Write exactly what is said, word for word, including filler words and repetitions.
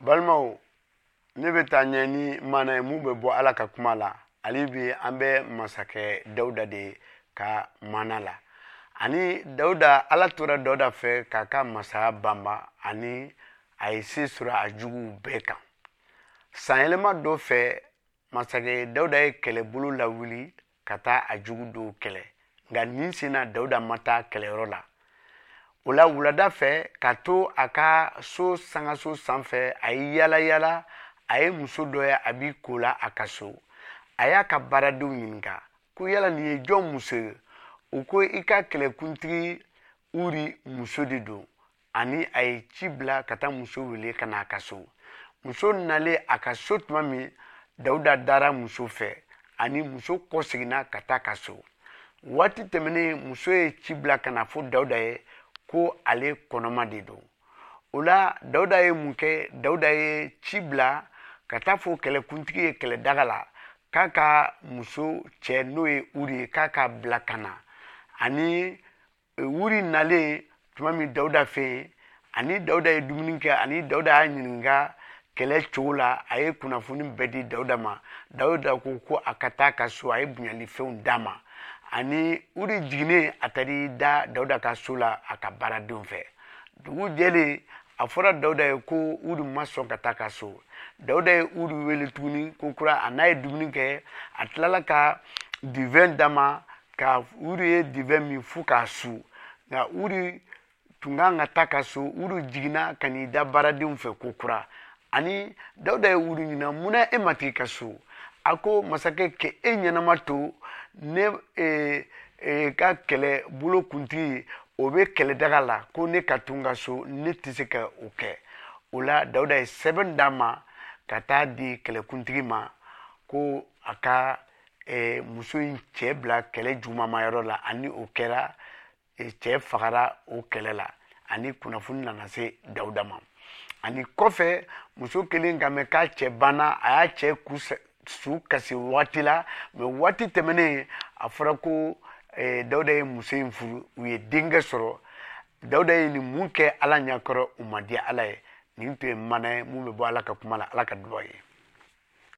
Balimaw, ne bɛ taa ɲɛ ni maana ye mun bɛ bɔ Ala ka kuma la. Hali bi an bɛ masakɛ Dawuda de ka maana la. Ani Dawuda, Ala tora Dawuda fɛ k'a ka masaya banba, ani a ye se sɔrɔ a juguw bɛɛ kan. Sanyɛlɛma dɔ fɛ, masakɛ Dawuda ye kɛlɛbolo lawuli ka taa a jugu dɔw kɛlɛ, nka nin sen na Dawuda ma taa kɛlɛyɔrɔ la. O la, wulada fɛ, ka to a ka so sangaso sanfɛ, a ye yala yala, a ye muso dɔ ye a b'i ko la a ka so. A y'a ka baaradenw ɲininka ko yala nin ye jɔn muso ye? U ko i ka kɛlɛkuntigi Uri muso de don. Ani a ye ci bila ka taa muso wele ka na a ka so. Muso nalen a ka so tuma min, Dawuda dara muso fɛ, ani muso kɔseginna ka taa ka so. Waati tɛmɛnen, muso ye ci bila ka na fɔ Dawuda ye ko ale kɔnɔma de don. O la, Dawuda ye mun kɛ? Dawuda ye ci bila ka taa fɔ kɛlɛkuntigi ye kɛlɛdaga la k'a ka muso cɛ, n'o ye Uri ye, k'a ka bila ka na. Ani Uri nalen tuma min Dawuda fɛ yen, ani Dawuda ye dumuni kɛ, ani Dawuda y'a ɲininka kɛlɛ cogo la, a ye kunnafoni bɛɛ di Dawuda ma. Dawuda ko ko a ka taa ka so, a ye bonyalifɛnw d'a ma. Ani Uri jiginnen, a taara da Dawuda ka so la a ka baaradenw fɛ. Dugu jɛlen, a fɔra Dawuda ye ko Uri ma sɔn ka taa ka so. Dawuda ye Uri wele tuguni ko kura, a n'a ye dumuni kɛ, a tilala ka divɛn d'a ma, ka Uri ye divɛn min fo k'a su. Nka Uri tun kan ka taa ka so. Uri jiginna ka n'i da baaradenw fɛ ko kura. Ani Dawuda ye Uri ɲininka, munna e ma t'i ka so? A ko, masakɛ, k'e e ɲɛnama to ne e, e, ka kɛlɛ bolo kuntigi, o bɛ kɛlɛdaga la, ko ne ka to n ka so, ne tɛ se ka o kɛ. O la, Dawuda ye sɛbɛn d'a ma ka taa di kɛlɛkuntigi ma ko a ka e, muso in cɛ bila kɛlɛ jugumamayɔrɔ la. Ani o kɛra, e, cɛ fagara o kɛlɛ la, ani kunnafoni nana se Dawuda ma. Ani kɔfɛ, muso kelen ka mɛn k'a cɛ banna, a y'a cɛ ku su kasi waati la. Mɛ waati tɛmɛnen, a fɔra ko eh, Dawuda ye muso in furu, u ye denkɛ sɔrɔ. Dawuda ye nin mun kɛ Ala ɲɛkɔrɔ, u ma diya Ala ye. Nin tun ye mana ye mun bɛ bɔ Ala ka kuma la. Ala ka duba ye.